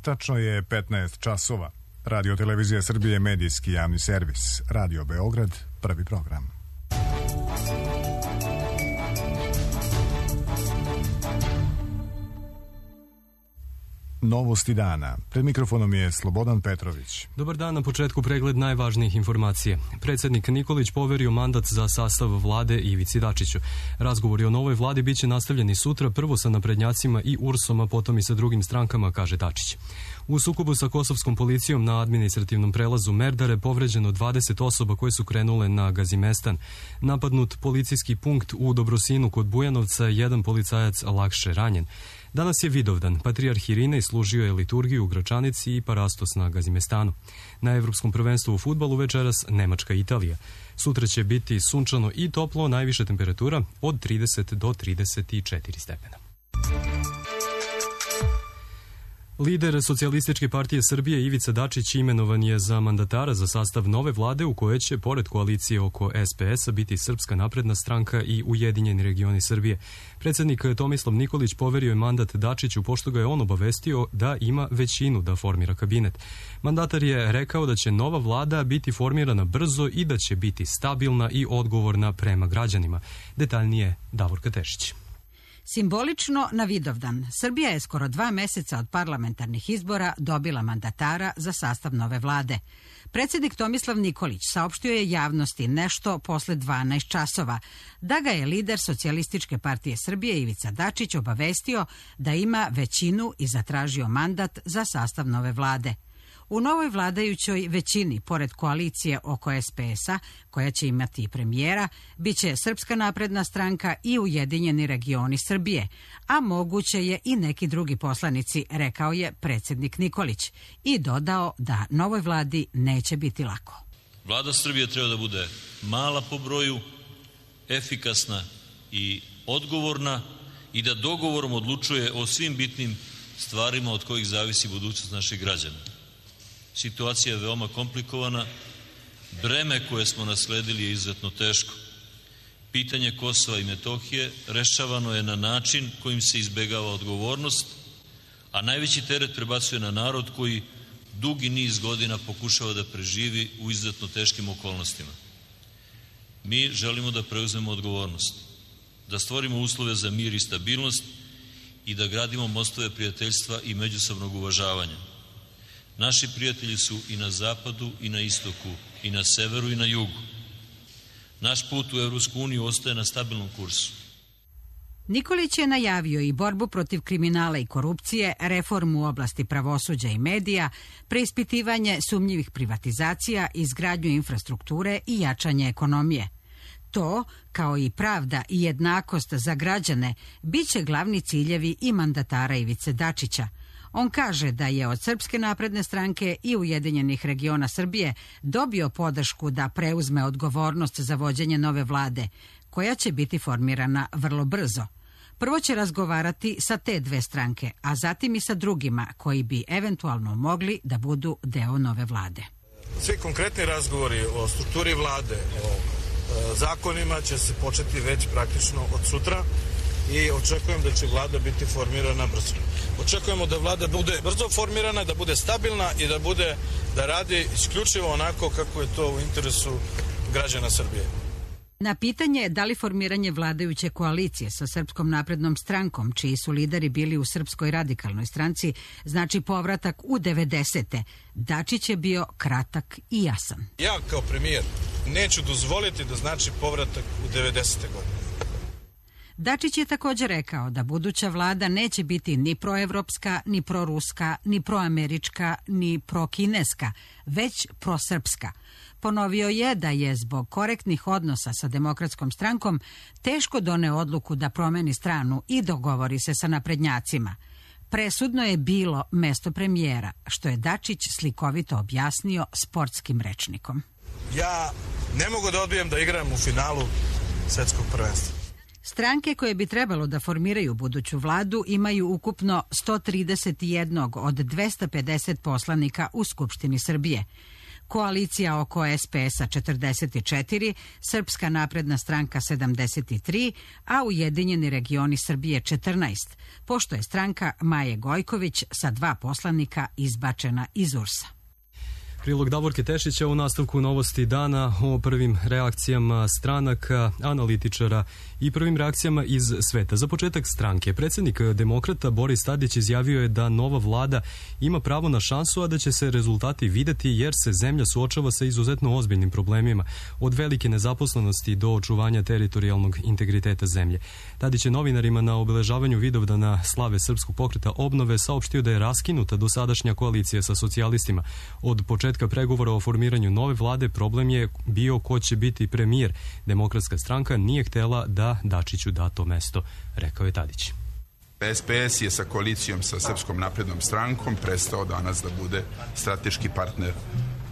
Tačno je 15 časova. Radio Televizija Srbije, medijski javni servis. Radio Beograd, prvi program. Novosti dana. Pred mikrofonom je Slobodan Petrović. Dobar dan, na početku pregled najvažnijih informacija. Predsjednik Nikolić poverio mandat za sastav vlade Ivici Dačiću. Razgovori o novoj vladi biće nastavljeni sutra, prvo sa naprednjacima i URS-om, a potom i sa drugim strankama, kaže Dačić. U sukobu sa kosovskom policijom na administrativnom prelazu Merdare povređeno 20 osoba koje su krenule na Gazimestan. Napadnut policijski punkt u Dobrosinu kod Bujanovca, jedan policajac lakše ranjen. Danas je Vidovdan. Patrijarh Irinej služio je liturgiju u Gračanici i Parastos na Gazimestanu. Na Evropskom prvenstvu u fudbalu večeras Nemačka i Italija. Sutra će biti sunčano i toplo, najviša temperatura od 30 do 34 stepena. Lider Socijalističke partije Srbije Ivica Dačić imenovan je za mandatara za sastav nove vlade u kojoj će, pored koalicije oko SPS-a, biti Srpska napredna stranka i Ujedinjeni regioni Srbije. Predsjednik Tomislav Nikolić poverio je mandat Dačiću pošto ga je on obavestio da ima većinu da formira kabinet. Mandatar je rekao da će nova vlada biti formirana brzo i da će biti stabilna i odgovorna prema građanima. Detaljnije Davorka Tešić. Simbolično na Vidovdan, Srbija je skoro 2 meseca od parlamentarnih izbora dobila mandatara za sastav nove vlade. Predsjednik Tomislav Nikolić saopštio je javnosti nešto posle 12 časova, da ga je lider Socijalističke partije Srbije Ivica Dačić obavestio da ima većinu i zatražio mandat za sastav nove vlade. U novoj vladajućoj većini, pored koalicije oko SPS-a, koja će imati i premijera, bit će Srpska napredna stranka i Ujedinjeni regioni Srbije, a moguće je i neki drugi poslanici, rekao je predsjednik Nikolić, i dodao da novoj vladi neće biti lako. Vlada Srbije treba da bude mala po broju, efikasna i odgovorna i da dogovorom odlučuje o svim bitnim stvarima od kojih zavisi budućnost naših građana. Situacija je veoma komplikovana, breme koje smo nasledili je izuzetno teško. Pitanje Kosova i Metohije rešavano je na način kojim se izbegava odgovornost, a najveći teret prebacuje na narod koji dugi niz godina pokušava da preživi u izuzetno teškim okolnostima. Mi želimo da preuzmemo odgovornost, da stvorimo uslove za mir i stabilnost i da gradimo mostove prijateljstva i međusobnog uvažavanja. Naši prijatelji su i na zapadu i na istoku, i na severu i na jugu. Naš put u Evropsku uniju ostaje na stabilnom kursu. Nikolić je najavio i borbu protiv kriminala i korupcije, reformu u oblasti pravosuđa i medija, preispitivanje sumnjivih privatizacija, izgradnju infrastrukture i jačanje ekonomije. To, kao i pravda i jednakost za građane, bit će glavni ciljevi i mandatara Ivice Dačića. On kaže da je od Srpske napredne stranke i Ujedinjenih regiona Srbije dobio podršku da preuzme odgovornost za vođenje nove vlade, koja će biti formirana vrlo brzo. Prvo će razgovarati sa te dve stranke, a zatim i sa drugima koji bi eventualno mogli da budu deo nove vlade. Svi konkretni razgovori o strukturi vlade, o zakonima će se početi već praktično od sutra i očekujem da će vlada biti formirana brzo. Očekujemo da vlada bude brzo formirana, da bude stabilna i da radi isključivo onako kako je to u interesu građana Srbije. Na pitanje da li formiranje vladajuće koalicije sa Srpskom naprednom strankom, čiji su lideri bili u Srpskoj radikalnoj stranci, znači povratak u 90. Dačić je bio kratak i jasan. Ja kao premijer neću dozvoliti da znači povratak u 90. godine. Dačić je također rekao da buduća vlada neće biti ni proevropska, ni proruska, ni proamerička, ni prokineska, već prosrpska. Ponovio je da je zbog korektnih odnosa sa Demokratskom strankom teško doneo odluku da promeni stranu i dogovori se sa naprednjacima. Presudno je bilo mesto premijera, što je Dačić slikovito objasnio sportskim rečnikom. Ja ne mogu da odbijem da igram u finalu svetskog prvenstva. Stranke koje bi trebalo da formiraju buduću vladu imaju ukupno 131 od 250 poslanika u Skupštini Srbije. koalicija oko SPS-a 44, Srpska napredna stranka 73, a Ujedinjeni regioni Srbije 14, pošto je stranka Maje Gojković sa 2 poslanika izbačena iz URS-a. Prilog Davorke Tešića u nastavku Novosti dana o prvim reakcijama stranaka, analitičara i prvim reakcijama iz sveta. Za početak stranke, predsjednik demokrata Boris Tadić izjavio je da nova vlada ima pravo na šansu, a da će se rezultati videti jer se zemlja suočava sa izuzetno ozbiljnim problemima, od velike nezaposlenosti do očuvanja teritorijalnog integriteta zemlje. Tadić je novinarima na obeležavanju Vidovdana slave Srpskog pokreta obnove saopštio da je raskinuta dosadašnja koalicija sa socijalistima. Od početka pregovora o formiranju nove vlade problem je bio ko će biti premijer. Demokratska stranka nije htela da Dačiću da to mesto, rekao je Tadić. SPS je sa koalicijom sa Srpskom naprednom strankom prestao danas da bude strateški partner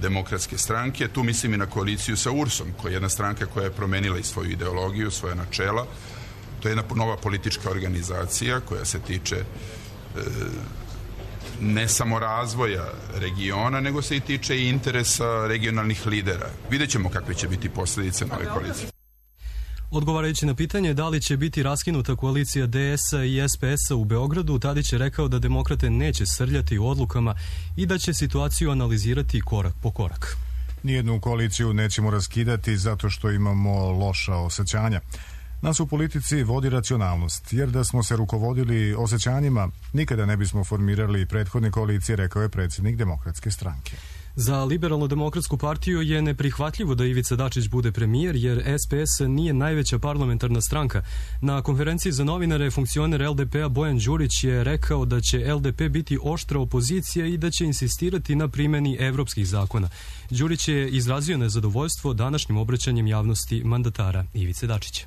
Demokratske stranke. Tu mislim i na koaliciju sa URS-om, koja je jedna stranka koja je promenila i svoju ideologiju, svoje načela. To je jedna nova politička organizacija koja se tiče ne samo razvoja regiona, nego se i tiče i interesa regionalnih lidera. Vidjet ćemo kakve će biti posljedice nove koalicije. Odgovarajući na pitanje da li će biti raskinuta koalicija DS-a i SPS-a u Beogradu, Tadić je rekao da demokrate neće srljati u odlukama i da će situaciju analizirati korak po korak. Nijednu koaliciju nećemo raskidati zato što imamo loša osjećanja. Nas u politici vodi racionalnost, jer da smo se rukovodili osjećanjima, nikada ne bismo formirali prethodne koalicije, rekao je predsjednik Demokratske stranke. Za Liberalno-demokratsku partiju je neprihvatljivo da Ivica Dačić bude premijer, jer SPS nije najveća parlamentarna stranka. Na konferenciji za novinare funkcioner LDP-a Bojan Đurić je rekao da će LDP biti oštra opozicija i da će insistirati na primjeni evropskih zakona. Đurić je izrazio nezadovoljstvo današnjim obraćanjem javnosti mandatara Ivice Dačića.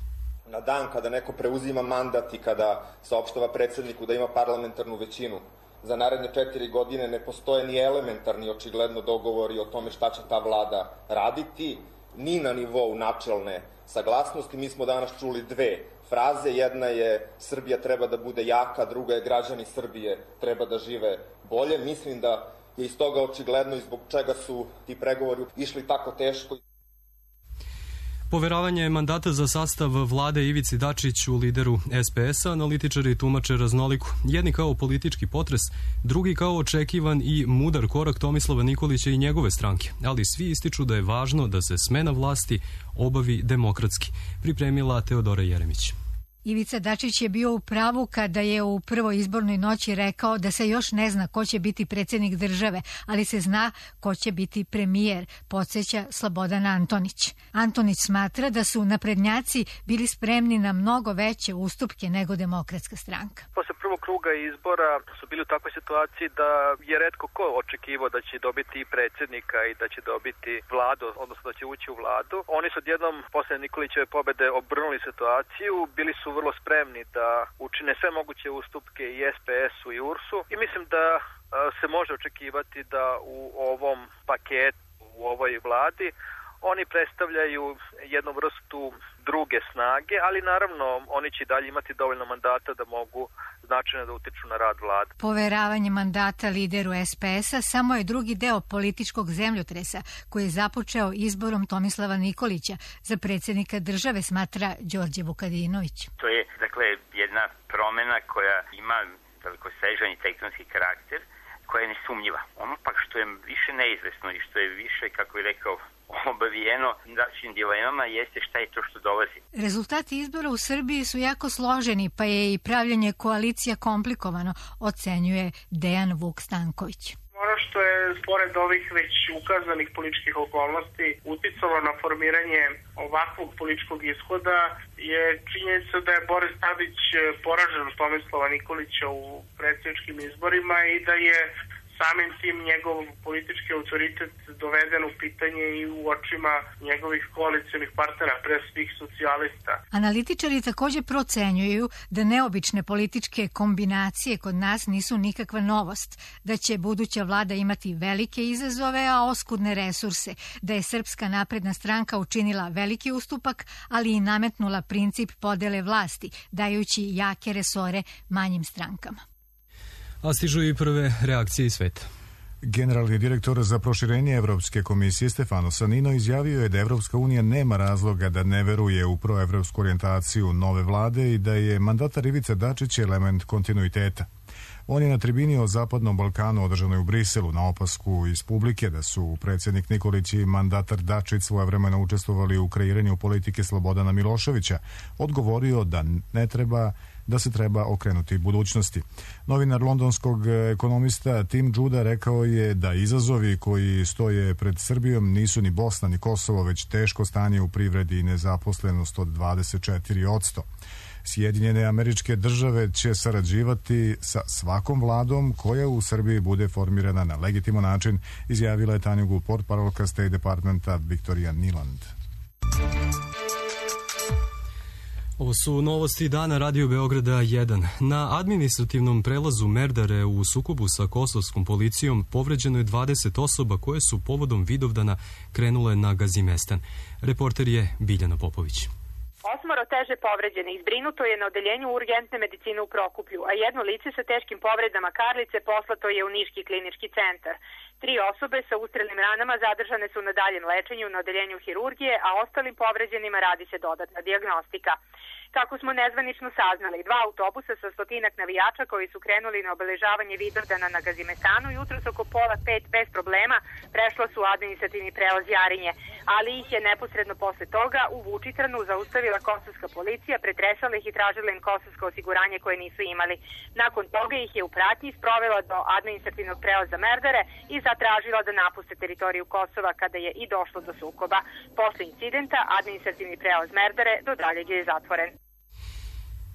Na dan kada neko preuzima mandat i kada saopštava predsjedniku da ima parlamentarnu većinu, za naredne 4 godine ne postoje ni elementarni očigledno dogovori o tome šta će ta vlada raditi, ni na nivou načelne saglasnosti. Mi smo danas čuli 2 fraze. Jedna je Srbija treba da bude jaka, druga je građani Srbije treba da žive bolje. Mislim da je iz toga očigledno i zbog čega su ti pregovori išli tako teško. Poveravanje mandata za sastav vlade Ivici Dačiću, lideru SPS-a, analitičari tumače raznoliko. Jedni kao politički potres, drugi kao očekivan i mudar korak Tomislava Nikolića i njegove stranke. Ali svi ističu da je važno da se smena vlasti obavi demokratski, pripremila Teodora Jeremić. Ivica Dačić je bio u pravu kada je u prvoj izbornoj noći rekao da se još ne zna ko će biti predsjednik države, ali se zna ko će biti premijer, podsjeća Slobodan Antonić. Antonić smatra da su naprednjaci bili spremni na mnogo veće ustupke nego Demokratska stranka. Posle prvog kruga izbora su bili u takvoj situaciji da je retko ko očekivao da će dobiti i predsjednika i da će dobiti vladu, odnosno da će ući u vladu. Oni su odjednom posle Nikolićeve pobede obrnuli situaciju, bili su vrlo spremni da učine sve moguće ustupke i SPS-u i URS-u i mislim da se može očekivati da u ovom paketu, u ovoj vladi, oni predstavljaju jednu vrstu druge snage, ali naravno oni će dalje imati dovoljno mandata da mogu značajno da utiču na rad vlade. Poveravanje mandata lideru SPS-a samo je drugi deo političkog zemljotresa koji je započeo izborom Tomislava Nikolića za predsjednika države, smatra Đorđe Vukadinović. To je, dakle, jedna promjena koja ima dalekosežan i tektonski karakter, koja je nesumnjiva. Ono pak što je više neizvesno i što je više, kako je rekao, obavijeno različitim dilemama jeste šta je to što dolazi. Rezultati izbora u Srbiji su jako složeni, pa je i pravljanje koalicija komplikovano, ocenjuje Dejan Vuk Stanković. Ono što je, pored ovih već ukazanih političkih okolnosti, uticalo na formiranje ovakvog političkog ishoda je činjenica da je Boris Tadić poražen Tomislava Nikolića u predsjedničkim izborima i da je samim tim njegov politički autoritet doveden u pitanje i u očima njegovih koalicionih partnera, pre svih socijalista. Analitičari također procenjuju da neobične političke kombinacije kod nas nisu nikakva novost, da će buduća vlada imati velike izazove, a oskudne resurse, da je Srpska napredna stranka učinila veliki ustupak, ali i nametnula princip podele vlasti, dajući jake resore manjim strankama. A stižu i prve reakcije iz sveta. Generalni direktor za proširenje Evropske komisije Stefano Sanino izjavio je da Evropska unija nema razloga da ne veruje u proevropsku orijentaciju nove vlade i da je mandatar Ivica Dačić element kontinuiteta. On je na tribini o Zapadnom Balkanu održanoj u Briselu na opasku iz publike da su predsjednik Nikolić i mandatar Dačić svojevremeno učestvovali u kreiranju politike Slobodana Miloševića odgovorio da se treba okrenuti budućnosti. Novinar londonskog ekonomista Tim Juda rekao je da izazovi koji stoje pred Srbijom nisu ni Bosna ni Kosovo, već teško stanje u privredi i nezaposlenost od 24%. Sjedinjene Američke Države će sarađivati sa svakom vladom koja u Srbiji bude formirana na legitiman način, izjavila je Tanjugu portparolka State Departmenta Viktorija Niland. Ovo su novosti dana Radio Beograda 1. Na administrativnom prelazu Merdare u sukobu sa kosovskom policijom povređeno je 20 osoba koje su povodom Vidovdana krenule na Gazimestan. Reporter je Biljana Popović. 8 teže povređenih zbrinuto je na odeljenju urgentne medicine u Prokuplju, a jedno lice sa teškim povredama karlice poslato je u Niški klinički centar. 3 osobe sa ustrelnim ranama zadržane su na daljem lečenju na odeljenju hirurgije, a ostalim povređenima radi se dodatna dijagnostika. Kako smo nezvanično saznali, 2 autobusa sa 100-ak navijača koji su krenuli na obeležavanje Vidovdana na Gazimestanu jutros oko 4:30 bez problema prešla su administrativni prelaz Jarinje, ali ih je neposredno posle toga u Vučitranu zaustavila kosovska policija, pretresala ih i tražila im kosovsko osiguranje koje nisu imali. Nakon toga ih je u pratnji sprovela do administrativnog prelaza Merdare i zatražila da napuste teritoriju Kosova kada je i došlo do sukoba. Posle incidenta administrativni prelaz Merdare do daljeg je zatvoren.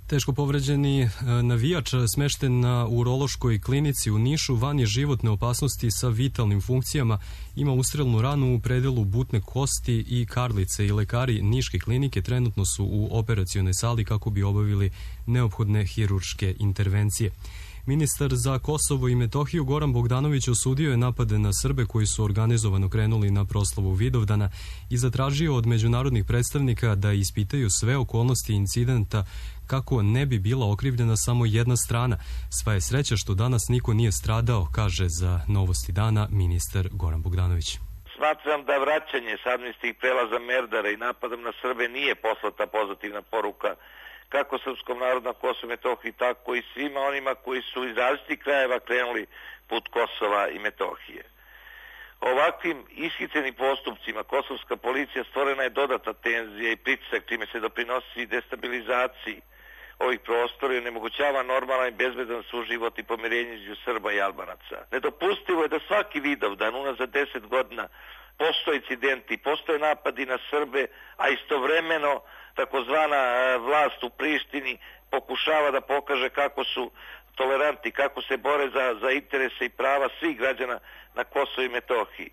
Teško povređeni navijač smešten na urološkoj klinici u Nišu van je životne opasnosti sa vitalnim funkcijama, ima ustrelnu ranu u predelu butne kosti i karlice i lekari Niške klinike trenutno su u operacionoj sali kako bi obavili neophodne hirurške intervencije. Ministar za Kosovo i Metohiju Goran Bogdanović osudio je napade na Srbe koji su organizovano krenuli na proslavu Vidovdana i zatražio od međunarodnih predstavnika da ispitaju sve okolnosti incidenta kako ne bi bila okrivljena samo jedna strana. Sva je sreća što danas niko nije stradao, kaže za Novosti dana ministar Goran Bogdanović. Smatram da vraćanje s administrativnih prelaza Merdara i napadom na Srbe nije poslata pozitivna poruka kako srpskom narodu na Kosovu i Metohiji, tako i svima onima koji su iz različitih krajeva krenuli put Kosova i Metohije. Ovakvim ishićenim postupcima kosovska policija stvorena je dodatna tenzija i pritisak čime se doprinosi destabilizaciji ovih prostora i onemogućava normalan i bezbedan suživot i pomirenje između Srba i Albanaca. Nedopustivo je da svaki Vidovdan unazad 10 godina postoje incidenti, postoje napadi na Srbe, a istovremeno takozvana vlast u Prištini pokušava da pokaže kako su tolerantni, kako se bore za interese i prava svih građana na Kosovu i Metohiji.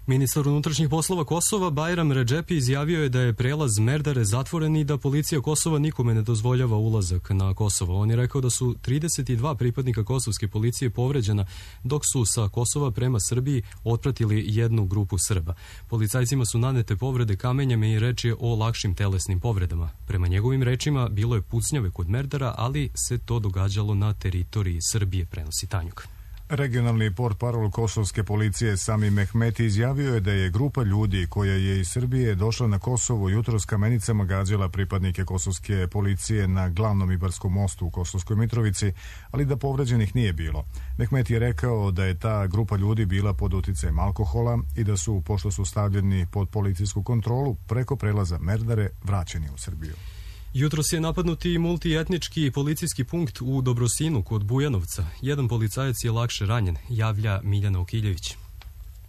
Ministar unutrašnjih poslova Kosova Bajram Redžepi izjavio je da je prelaz Merdare zatvoren i da policija Kosova nikome ne dozvoljava ulazak na Kosovo. On je rekao da su 32 pripadnika kosovske policije povređena, dok su sa Kosova prema Srbiji otpratili jednu grupu Srba. Policajcima su nanete povrede kamenjem i reč je o lakšim telesnim povredama. Prema njegovim rečima bilo je pucnjave kod Merdara, ali se to događalo na teritoriji Srbije, prenosi Tanjuk. Regionalni portparol kosovske policije Sami Mehmeti izjavio je da je grupa ljudi koja je iz Srbije došla na Kosovo jutros kamenicama gađala pripadnike kosovske policije na glavnom Ibarskom mostu u Kosovskoj Mitrovici, ali da povređenih nije bilo. Mehmeti je rekao da je ta grupa ljudi bila pod uticajem alkohola i da su, pošto su stavljeni pod policijsku kontrolu, preko prelaza Merdare vraćeni u Srbiju. Jutros je napadnuti multietnički policijski punkt u Dobrosinu kod Bujanovca. Jedan policajac je lakše ranjen, javlja Miljana Okiljević.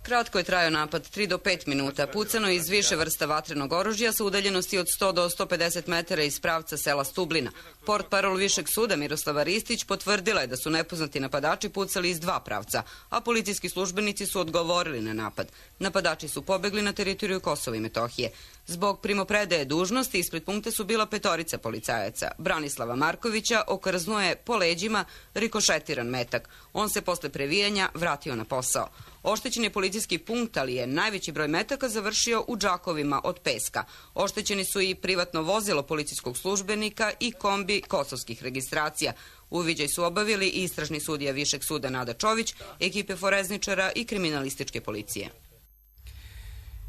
Kratko je trajao napad, 3 do 5 minuta. Pucano iz više vrsta vatrenog oružja sa udaljenosti od 100 do 150 metara iz pravca sela Stublina. Portparol Višeg suda Miroslava Ristić potvrdila je da su nepoznati napadači pucali iz 2 pravca, a policijski službenici su odgovorili na napad. Napadači su pobegli na teritoriju Kosova i Metohije. Zbog primopredaje dužnosti ispred punkta su bila 5 policajaca. Branislava Markovića okrznuo je po leđima rikošetiran metak. On se posle previjanja vratio na posao. Oštećen je policijski punkt, ali je najveći broj metaka završio u džakovima od peska. Oštećeni su i privatno vozilo policijskog službenika i kombi kosovskih registracija. Uviđaj su obavili istražni sudija Višeg suda Nada Čović, ekipe forezničara i kriminalističke policije.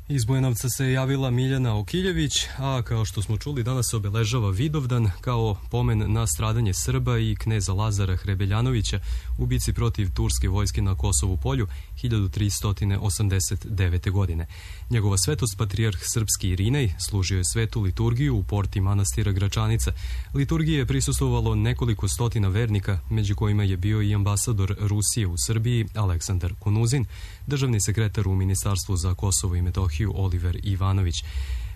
Iz Bujanovca se javila Miljana Okiljević, a kao što smo čuli danas se obeležava Vidovdan kao pomen na stradanje Srba i kneza Lazara Hrebeljanovića u bici protiv turske vojske na Kosovu polju 1389. godine. Njegova svetost patrijarh srpski Irinej služio je svetu liturgiju u porti manastira Gračanica. Liturgiji je prisustvovalo nekoliko stotina vernika, među kojima je bio i ambasador Rusije u Srbiji Aleksandar Kunuzin, državni sekretar u Ministarstvu za Kosovo i Metohiju Oliver Ivanović.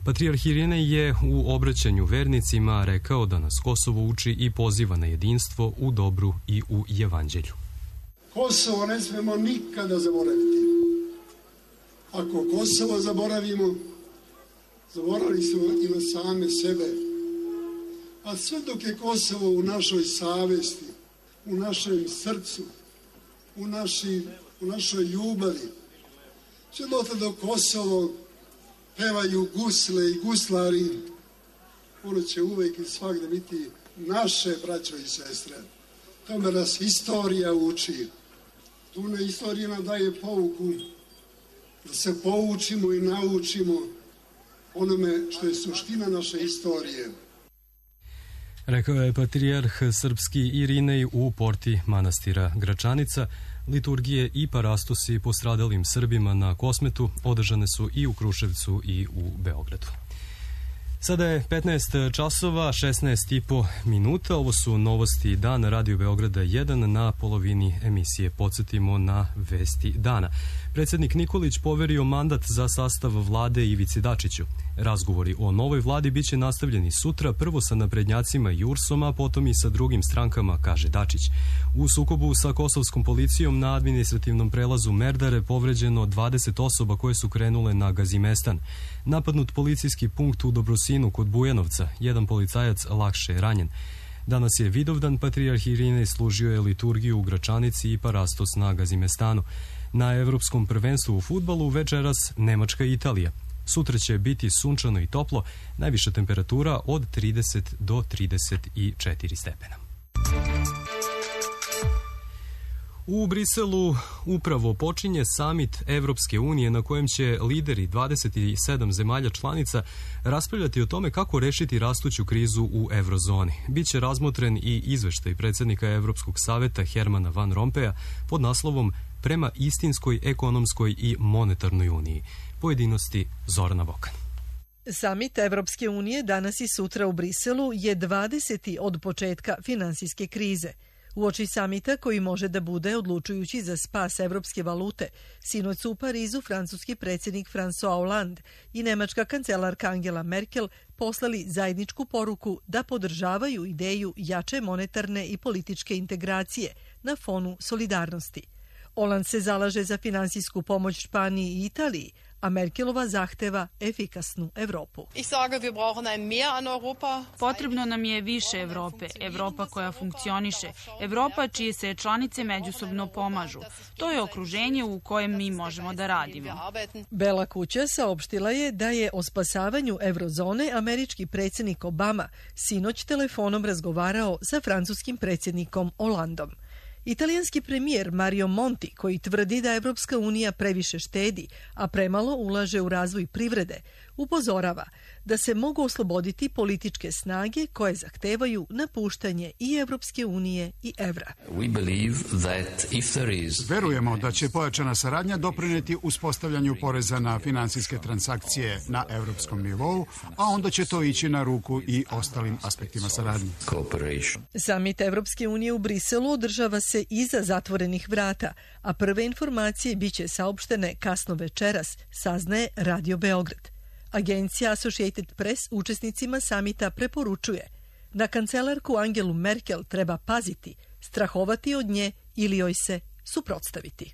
Patrijarh Irinej je u obraćanju vernicima rekao da nas Kosovo uči i poziva na jedinstvo u dobru i u evanđelju. Kosovo ne smemo nikada zaboraviti. Ako Kosovo zaboravimo, zaboravili smo i na same sebe. A sve dok je Kosovo u našoj savesti, u našem srcu, u našoj ljubavi, sve do Kosovo pevaju gusle i guslari, ono će uvek i svakda biti naše braćo i sestre. Tome nas istorija uči. Tu na istorija nam daje pouku da se poučimo i naučimo onome što je suština naše istorije. Rekao je patrijarh srpski Irinej u porti manastira Gračanica. Liturgije i parastosi postradalim Srbima na Kosmetu održane su i u Kruševcu i u Beogradu. Sada je 15 časova, 16,5 minuta. Ovo su novosti dana Radio Beograda 1. Na polovini emisije podsjetimo na vesti dana. Predsjednik Nikolić poverio mandat za sastav vlade Ivici Dačiću. Razgovori o novoj vladi biće nastavljeni sutra, prvo sa naprednjacima i URS-om, a potom i sa drugim strankama, kaže Dačić. U sukobu sa kosovskom policijom na administrativnom prelazu Merdare povređeno 20 osoba koje su krenule na Gazimestan. Napadnut policijski punkt u Dobrosinu kod Bujanovca, jedan policajac lakše je ranjen. Danas je Vidovdan, patrijarh Irinej služio je liturgiju u Gračanici i parastos na Gazimestanu. Na evropskom prvenstvu u fudbalu večeras Nemačka i Italija. Sutra će biti sunčano i toplo, najviša temperatura od 30 do 34 stepena. U Briselu upravo počinje samit Evropske unije na kojem će lideri 27 zemalja članica raspravljati o tome kako rešiti rastuću krizu u eurozoni. Biće razmotren i izveštaj predsjednika Evropskog saveta Hermana Van Rompeja pod naslovom Prema istinskoj ekonomskoj i monetarnoj uniji. Pojedinosti Zorana Vokan. Samit Evropske unije danas i sutra u Briselu je 20. od početka finansijske krize. Uoči samita koji može da bude odlučujući za spas evropske valute, sinoć su u Parizu francuski predsjednik François Hollande i nemačka kancelarka Angela Merkel poslali zajedničku poruku da podržavaju ideju jače monetarne i političke integracije na fonu solidarnosti. Hollande se zalaže za finansijsku pomoć Španiji i Italiji, a Merkelova zahteva efikasnu Evropu. Potrebno nam je više Evrope, Evropa koja funkcioniše, Evropa čije se članice međusobno pomažu. To je okruženje u kojem mi možemo da radimo. Bela kuća saopštila je da je o spasavanju eurozone američki predsjednik Obama sinoć telefonom razgovarao sa francuskim predsjednikom Hollandom. Italijanski premijer Mario Monti, koji tvrdi da Evropska unija previše štedi, a premalo ulaže u razvoj privrede, upozorava da se mogu osloboditi političke snage koje zahtevaju napuštanje i Evropske unije i evra. Verujemo da će pojačana saradnja doprineti uspostavljanju poreza na finansijske transakcije na evropskom nivou, a onda će to ići na ruku i ostalim aspektima saradnje. Samit Evropske unije u Briselu održava se iza zatvorenih vrata, a prve informacije biće saopštene kasno večeras, saznaje Radio Beograd. Agencija Associated Press učesnicima samita preporučuje da kancelarku Angelu Merkel treba paziti, strahovati od nje ili joj se suprotstaviti.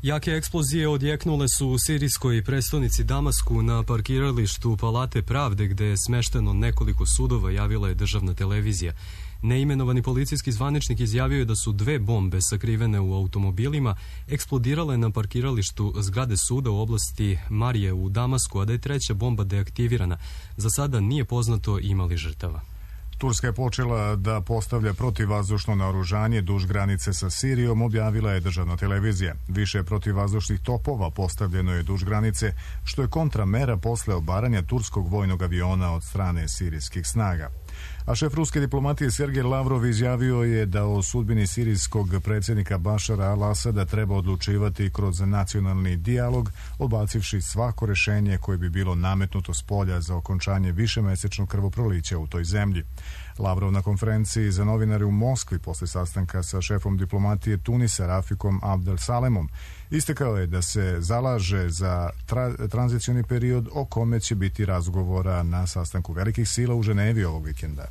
Jake eksplozije odjeknule su u sirijskoj prestonici Damasku na parkiralištu Palate pravde gde je smešteno nekoliko sudova, javila je državna televizija. Neimenovani policijski zvaničnik izjavio je da su 2 bombe sakrivene u automobilima eksplodirale na parkiralištu zgrade suda u oblasti Marije u Damasku, a da je 3. bomba deaktivirana. Za sada nije poznato ima li žrtava. Turska je počela da postavlja protivvazdušno naoružanje duž granice sa Sirijom, objavila je državna televizija. Više protivvazdušnih topova postavljeno je duž granice, što je kontramera posle obaranja turskog vojnog aviona od strane sirijskih snaga. A šef ruske diplomatije Sergej Lavrov izjavio je da o sudbini sirijskog predsjednika Bašara al-Asada treba odlučivati kroz nacionalni dijalog, odbacivši svako rešenje koje bi bilo nametnuto s polja za okončanje višemesečnog krvoprolića u toj zemlji. Lavrov na konferenciji za novinare u Moskvi posle sastanka sa šefom diplomatije Tunisa Rafikom Abdel Salemom istakao je da se zalaže za tranzicioni period o kome će biti razgovora na sastanku velikih sila u Ženevi ovog vikenda.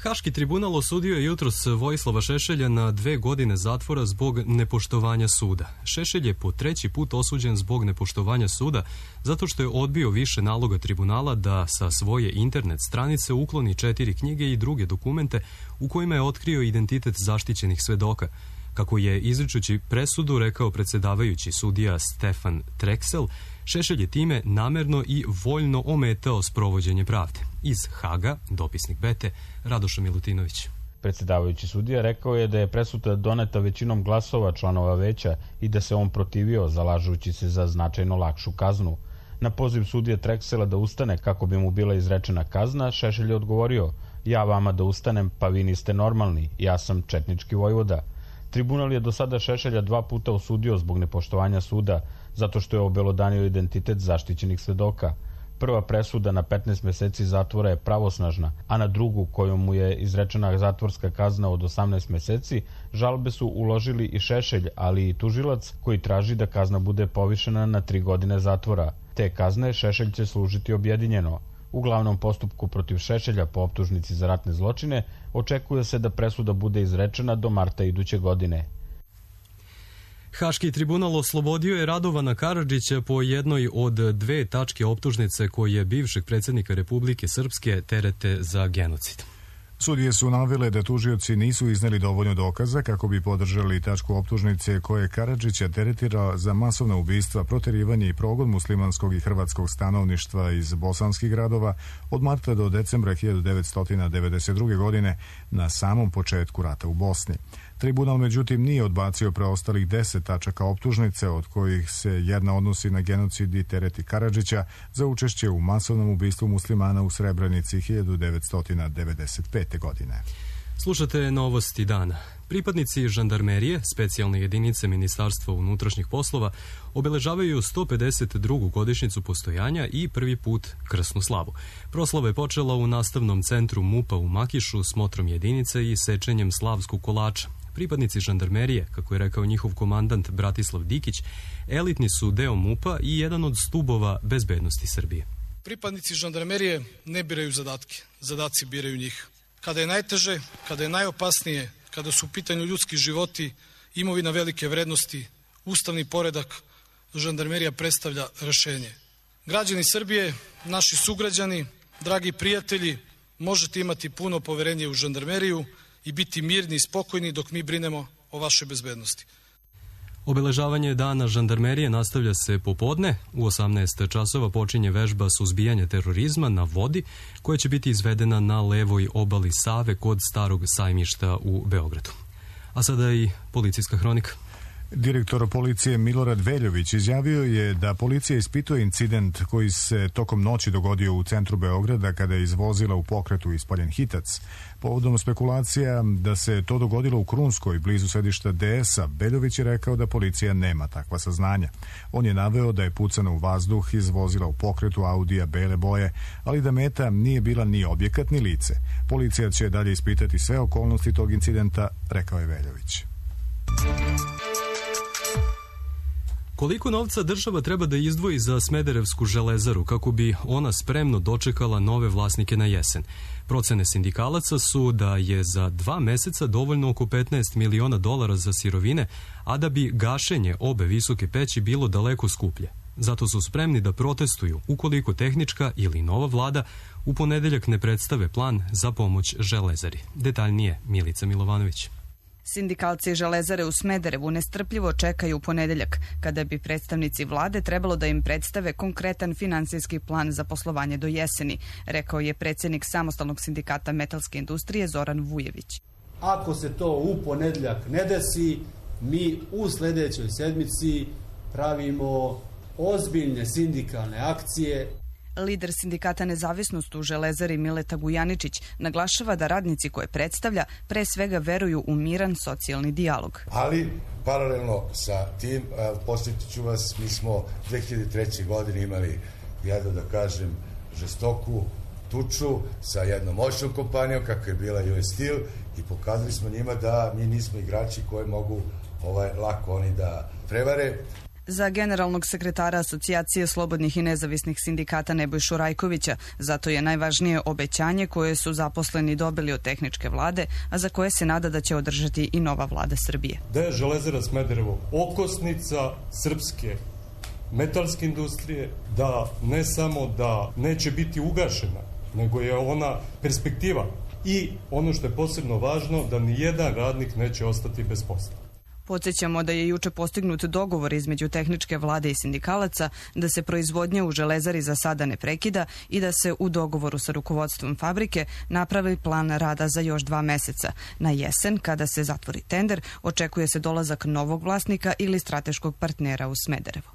Haški tribunal osudio je jutros Vojislava Šešelja na 2 godine zatvora zbog nepoštovanja suda. Šešelj je po 3. put osuđen zbog nepoštovanja suda zato što je odbio više naloga tribunala da sa svoje internet stranice ukloni 4 knjige i druge dokumente u kojima je otkrio identitet zaštićenih svedoka. Kako je izričući presudu rekao predsjedavajući sudija Stefan Treksel, Šešelj je time namerno i voljno ometao sprovođenje pravde. Iz Haga, dopisnik Bete, Radoša Milutinović. Predsjedavajući sudija rekao je da je presuda doneta većinom glasova članova veća i da se on protivio, zalažući se za značajno lakšu kaznu. Na poziv sudije Treksela da ustane kako bi mu bila izrečena kazna, Šešelj je odgovorio: "Ja vama da ustanem, pa vi niste normalni, ja sam četnički vojvoda." Tribunal je do sada Šešelja 2 puta osudio zbog nepoštovanja suda, zato što je obelodanio identitet zaštićenih svedoka. Prva presuda na 15 meseci zatvora je pravosnažna, a na drugu, kojom mu je izrečena zatvorska kazna od 18 meseci, žalbe su uložili i Šešelj, ali i tužilac koji traži da kazna bude povišena na 3 godine zatvora. Te kazne Šešelj će služiti objedinjeno. U glavnom postupku protiv Šešelja po optužnici za ratne zločine očekuje se da presuda bude izrečena do marta iduće godine. Haški tribunal oslobodio je Radovana Karadžića po jednoj od 2 tačke optužnice koje bivšeg predsjednika Republike Srpske terete za genocid. Sudije su navele da tužioci nisu izneli dovoljno dokaza kako bi podržali tačku optužnice koje Karadžića teretira za masovna ubistva, proterivanje i progon muslimanskog i hrvatskog stanovništva iz bosanskih gradova od marta do decembra 1992. godine na samom početku rata u Bosni. Tribunal međutim nije odbacio preostalih 10 tačaka optužnice, od kojih se jedna odnosi na genocid i tereti Karadžića za učešće u masovnom ubistvu muslimana u Srebrenici 1995. godine. Slušate novosti dana. Pripadnici žandarmerije, specijalne jedinice Ministarstva unutrašnjih poslova, obeležavaju 152. godišnjicu postojanja i prvi put krsnu slavu. Proslava je počela u nastavnom centru MUP-a u Makišu smotrom jedinice i sečenjem slavskog kolača. Pripadnici žandarmerije, kako je rekao njihov komandant Bratislav Dikić, elitni su deo MUP-a i jedan od stubova bezbednosti Srbije. Pripadnici žandarmerije ne biraju zadatke, zadaci biraju njih. Kada je najteže, kada je najopasnije, kada su u pitanju ljudski životi, imovina velike vrednosti, ustavni poredak, žandarmerija predstavlja rešenje. Građani Srbije, naši sugrađani, dragi prijatelji, možete imati puno poverenje u žandarmeriju i biti mirni i spokojni dok mi brinemo o vašoj bezbednosti. Obeležavanje dana žandarmerije nastavlja se popodne. U 18 časova počinje vežba suzbijanja terorizma na vodi, koja će biti izvedena na levoj obali Save kod Starog sajmišta u Beogradu. A sada i policijska hronika. Direktor policije Milorad Veljović izjavio je da policija ispituje incident koji se tokom noći dogodio u centru Beograda kada je iz vozila u pokretu ispaljen hitac. Povodom spekulacija da se to dogodilo u Krunskoj, blizu sedišta DS-a, Veljović je rekao da policija nema takva saznanja. On je naveo da je pucano u vazduh iz vozila u pokretu Audija bele boje, ali da meta nije bila ni objekat ni lice. Policija će dalje ispitati sve okolnosti tog incidenta, rekao je Veljović. Koliko novca država treba da izdvoji za Smederevsku železaru kako bi ona spremno dočekala nove vlasnike na jesen? Procene sindikalaca su da je za 2 meseca dovoljno oko $15 miliona za sirovine, a da bi gašenje obe visoke peći bilo daleko skuplje. Zato su spremni da protestuju ukoliko tehnička ili nova vlada u ponedeljak ne predstave plan za pomoć železari. Detaljnije Milica Milovanović. Sindikalci Železare u Smederevu nestrpljivo čekaju ponedeljak, kada bi predstavnici vlade trebalo da im predstave konkretan finansijski plan za poslovanje do jeseni, rekao je predsjednik Samostalnog sindikata metalske industrije Zoran Vujević. Ako se to u ponedeljak ne desi, mi u sljedećoj sedmici pravimo ozbiljne sindikalne akcije. Lider sindikata Nezavisnost u Železari Mileta Gujaničić naglašava da radnici koje predstavlja pre svega veruju u miran socijalni dijalog. Ali paralelno sa tim, posjetit ću vas, mi smo 2003. godine imali jedno, da kažem, žestoku tuču sa jednom moćnom kompanijom kako je bila US Steel i pokazali smo njima da mi nismo igrači koje mogu lako oni da prevare. Za generalnog sekretara Asocijacije slobodnih i nezavisnih sindikata Nebojšu Rajkovića, zato je najvažnije obećanje koje su zaposleni dobili od tehničke vlade, a za koje se nada da će održati i nova vlada Srbije. Da je Železara Smederevo okosnica srpske metalske industrije, da ne samo da neće biti ugašena, nego je ona perspektiva. I ono što je posebno važno, da nijedan radnik neće ostati bez posla. Podsjećamo da je juče postignut dogovor između tehničke vlade i sindikalaca da se proizvodnja u Železari za sada ne prekida i da se u dogovoru sa rukovodstvom fabrike napravi plan rada za još 2 meseca. Na jesen, kada se zatvori tender, očekuje se dolazak novog vlasnika ili strateškog partnera u Smederevo.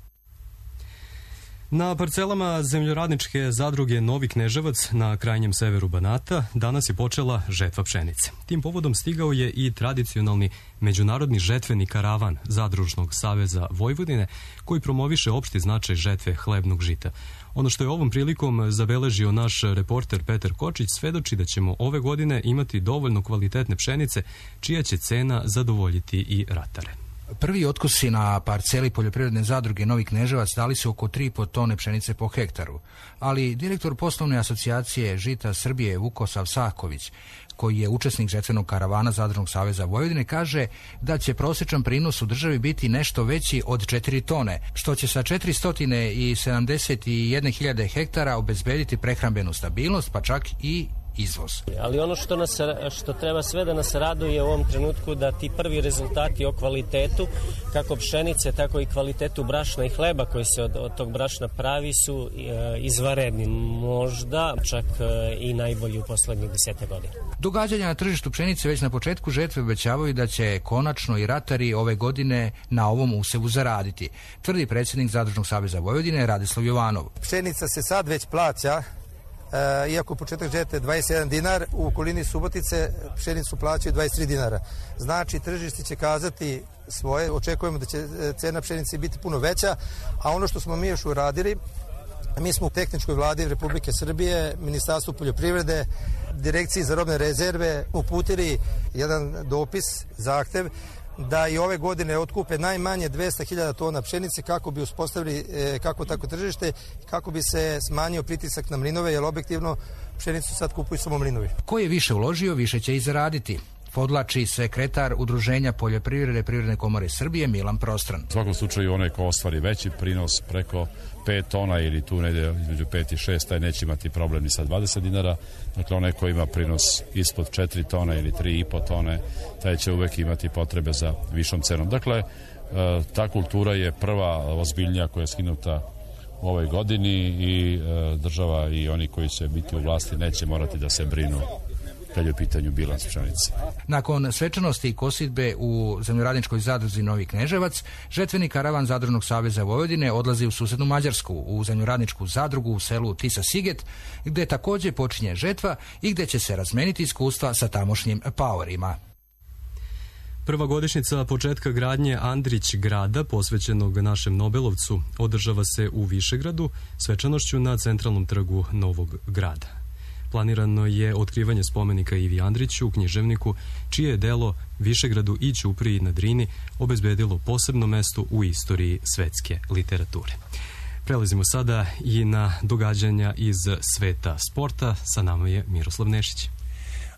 Na parcelama zemljoradničke zadruge Novi Kneževac na krajnjem severu Banata danas je počela žetva pšenice. Tim povodom stigao je i tradicionalni međunarodni žetveni karavan Zadružnog saveza Vojvodine koji promoviše opšti značaj žetve hlebnog žita. Ono što je ovom prilikom zabeležio naš reporter Petar Kočić svedoči da ćemo ove godine imati dovoljno kvalitetne pšenice čija će cena zadovoljiti i ratare. Prvi otkusi na parceli poljoprivredne zadruge Novi Kneževac dali su oko 3,5 tone pšenice po hektaru, ali direktor poslovne asocijacije Žita Srbije Vukosav Saković, koji je učesnik žetvenog karavana Zadružnog saveza Vojvodine, kaže da će prosječan prinos u državi biti nešto veći od 4 tone, što će sa 471.000 hektara obezbediti prehrambenu stabilnost, pa čak i izvoz. Ali ono što treba sve da nas raduje u ovom trenutku da ti prvi rezultati o kvalitetu kako pšenice, tako i kvalitetu brašna i hleba koji se od tog brašna pravi su izvanredni, možda čak i najbolji u poslednjih 10 godina. Događanja na tržištu pšenice već na početku žetve obećavaju da će konačno i ratari ove godine na ovom usevu zaraditi, tvrdi predsjednik Zadružnog saveza Vojvodine Radislav Jovanov. Pšenica se sad već plaća. Iako početak žetve 21 dinar, u okolini Subotice pšenicu plaćaju 23 dinara. Znači, tržište će kazati svoje, očekujemo da će cena pšenice biti puno veća, a ono što smo mi još uradili, mi smo u tehničkoj vladi Republike Srbije, Ministarstvu poljoprivrede, Direkciji za robne rezerve uputili jedan dopis, zahtev, da i ove godine otkupe najmanje 200.000 tona pšenice kako bi uspostavili kako tako tržište, kako bi se smanjio pritisak na mlinove, jer objektivno pšenicu sad kupuju samo mlinovi. Ko je više uložio, više će i zaraditi, podlači sekretar Udruženja poljoprivrede Privredne komore Srbije Milan Prostran. U svakom slučaju onaj ko ostvari veći prinos preko 5 tona ili tu negde između 5 i 6, taj neće imati problem ni sa 20 dinara. Dakle, onaj ko ima prinos ispod 4 tona ili 3,5 tone, taj će uvek imati potrebe za višom cenom. Dakle, ta kultura je prva ozbiljnija koja je skinuta u ovoj godini i država i oni koji će biti u vlasti neće morati da se brinu kad je u pitanju bilans pšenice. Nakon svečanosti i kosidbe u zemljoradničkoj zadruzi Novi Kneževac, žetveni karavan Zadružnog saveza Vojvodine odlazi u susednu Mađarsku, u zemljoradničku zadrugu u selu Tisa Siget, gde takođe počinje žetva i gde će se razmeniti iskustva sa tamošnjim paorima. Prva godišnjica početka gradnje Andrić grada, posvećenog našem Nobelovcu, održava se u Višegradu, svečanošću na centralnom trgu Novog grada. Planirano je otkrivanje spomenika Ivi Andriću, književniku, čije je delo Višegradu i Ćupriji na Drini obezbedilo posebno mesto u istoriji svetske literature. Prelazimo sada i na događanja iz sveta sporta. Sa nama je Miroslav Nešić.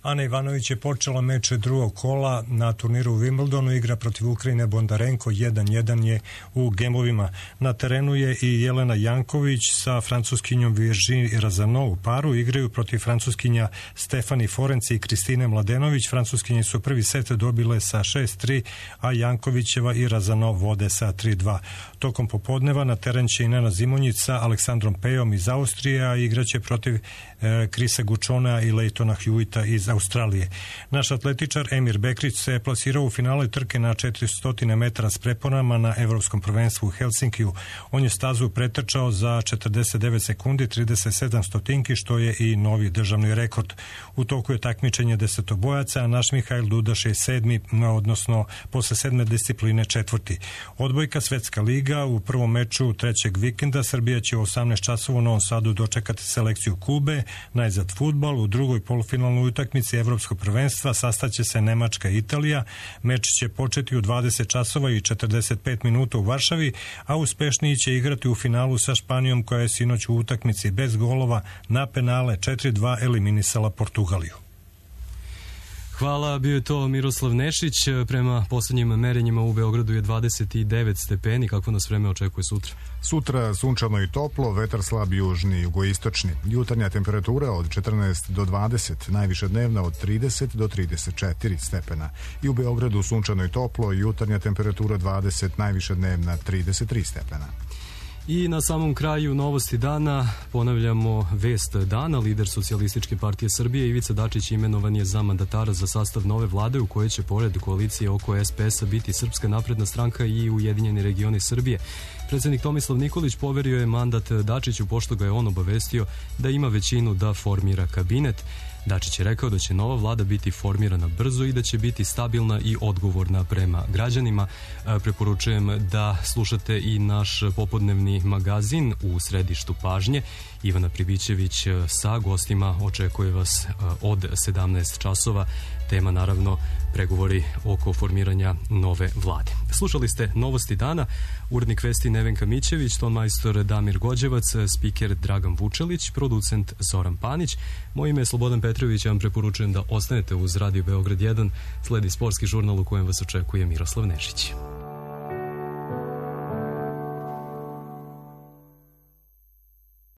Ana Ivanović je počela meč drugog kola na turniru u Wimbledonu, igra protiv Ukrajine Bondarenko, 1-1 je u gemovima. Na terenu je i Jelena Janković sa francuskinjom Virginie Razano u paru, igraju protiv francuskinja Stefani Forenci i Kristine Mladenović. Francuskinje su prvi set dobile sa 6-3, a Jankovićeva i Razano vode sa 3-2. Tokom popodneva na teren će i Nena Zimonjić sa Aleksandrom Pejom iz Austrije, a igraće protiv Krisa Gučona i Leitona Hewita iz Australije. Naš atletičar Emir Bekrić se plasirao u finale trke na 400 metara s preponama na Evropskom prvenstvu u Helsinkiju. On je stazu pretrčao za 49 sekundi 37 stotinki, što je i novi državni rekord. U toku je takmičenje desetobojaca, a naš Mihajl Dudaš je sedmi, odnosno posle sedme discipline četvrti. Odbojka Svetska liga u prvom meču trećeg vikenda. Srbija će u 18 časova u Novom Sadu dočekati selekciju Kube. Najzad fudbal, u drugoj polufinalnoj utakmici Evropskog prvenstva sastaće se Nemačka i Italija. Meč će početi u 20 časova i 45 minuta u Varšavi, a uspešniji će igrati u finalu sa Španijom, koja je sinoć u utakmici bez golova na penale 4-2 eliminisala Portugaliju. Hvala, bio je to Miroslav Nešić. Prema poslednjim merenjima u Beogradu je 29 stepeni. Kako nas vreme očekuje sutra? Sutra sunčano i toplo, vetar slab južni i jugoistočni. Jutarnja temperatura od 14 do 20, najviša dnevna od 30 do 34 stepena. I u Beogradu sunčano i toplo, jutarnja temperatura 20, najviša dnevna 33 stepena. I na samom kraju novosti dana ponavljamo vest dana. Lider Socijalističke partije Srbije Ivica Dačić imenovan je za mandatara za sastav nove vlade u kojoj će pored koalicije oko SPS-a biti Srpska napredna stranka i Ujedinjeni regioni Srbije. Predsednik Tomislav Nikolić poverio je mandat Dačiću pošto ga je on obavestio da ima većinu da formira kabinet. Dačić je rekao da će nova vlada biti formirana brzo i da će biti stabilna i odgovorna prema građanima. Preporučujem da slušate i naš popodnevni magazin U središtu pažnje. Ivana Pribićević sa gostima očekuje vas od 17 časova. Tema naravno pregovori oko formiranja nove vlade. Slušali ste novosti dana, urednik vesti Nevenka Mićević, tonmajstor Damir Gođevac, spiker Dragan Vučelić, producent Zoran Panić. Moje ime je Slobodan Petrović, ja vam preporučujem da ostanete uz Radio Beograd 1, sledi sportski žurnal u kojem vas očekuje Miroslav Nešić.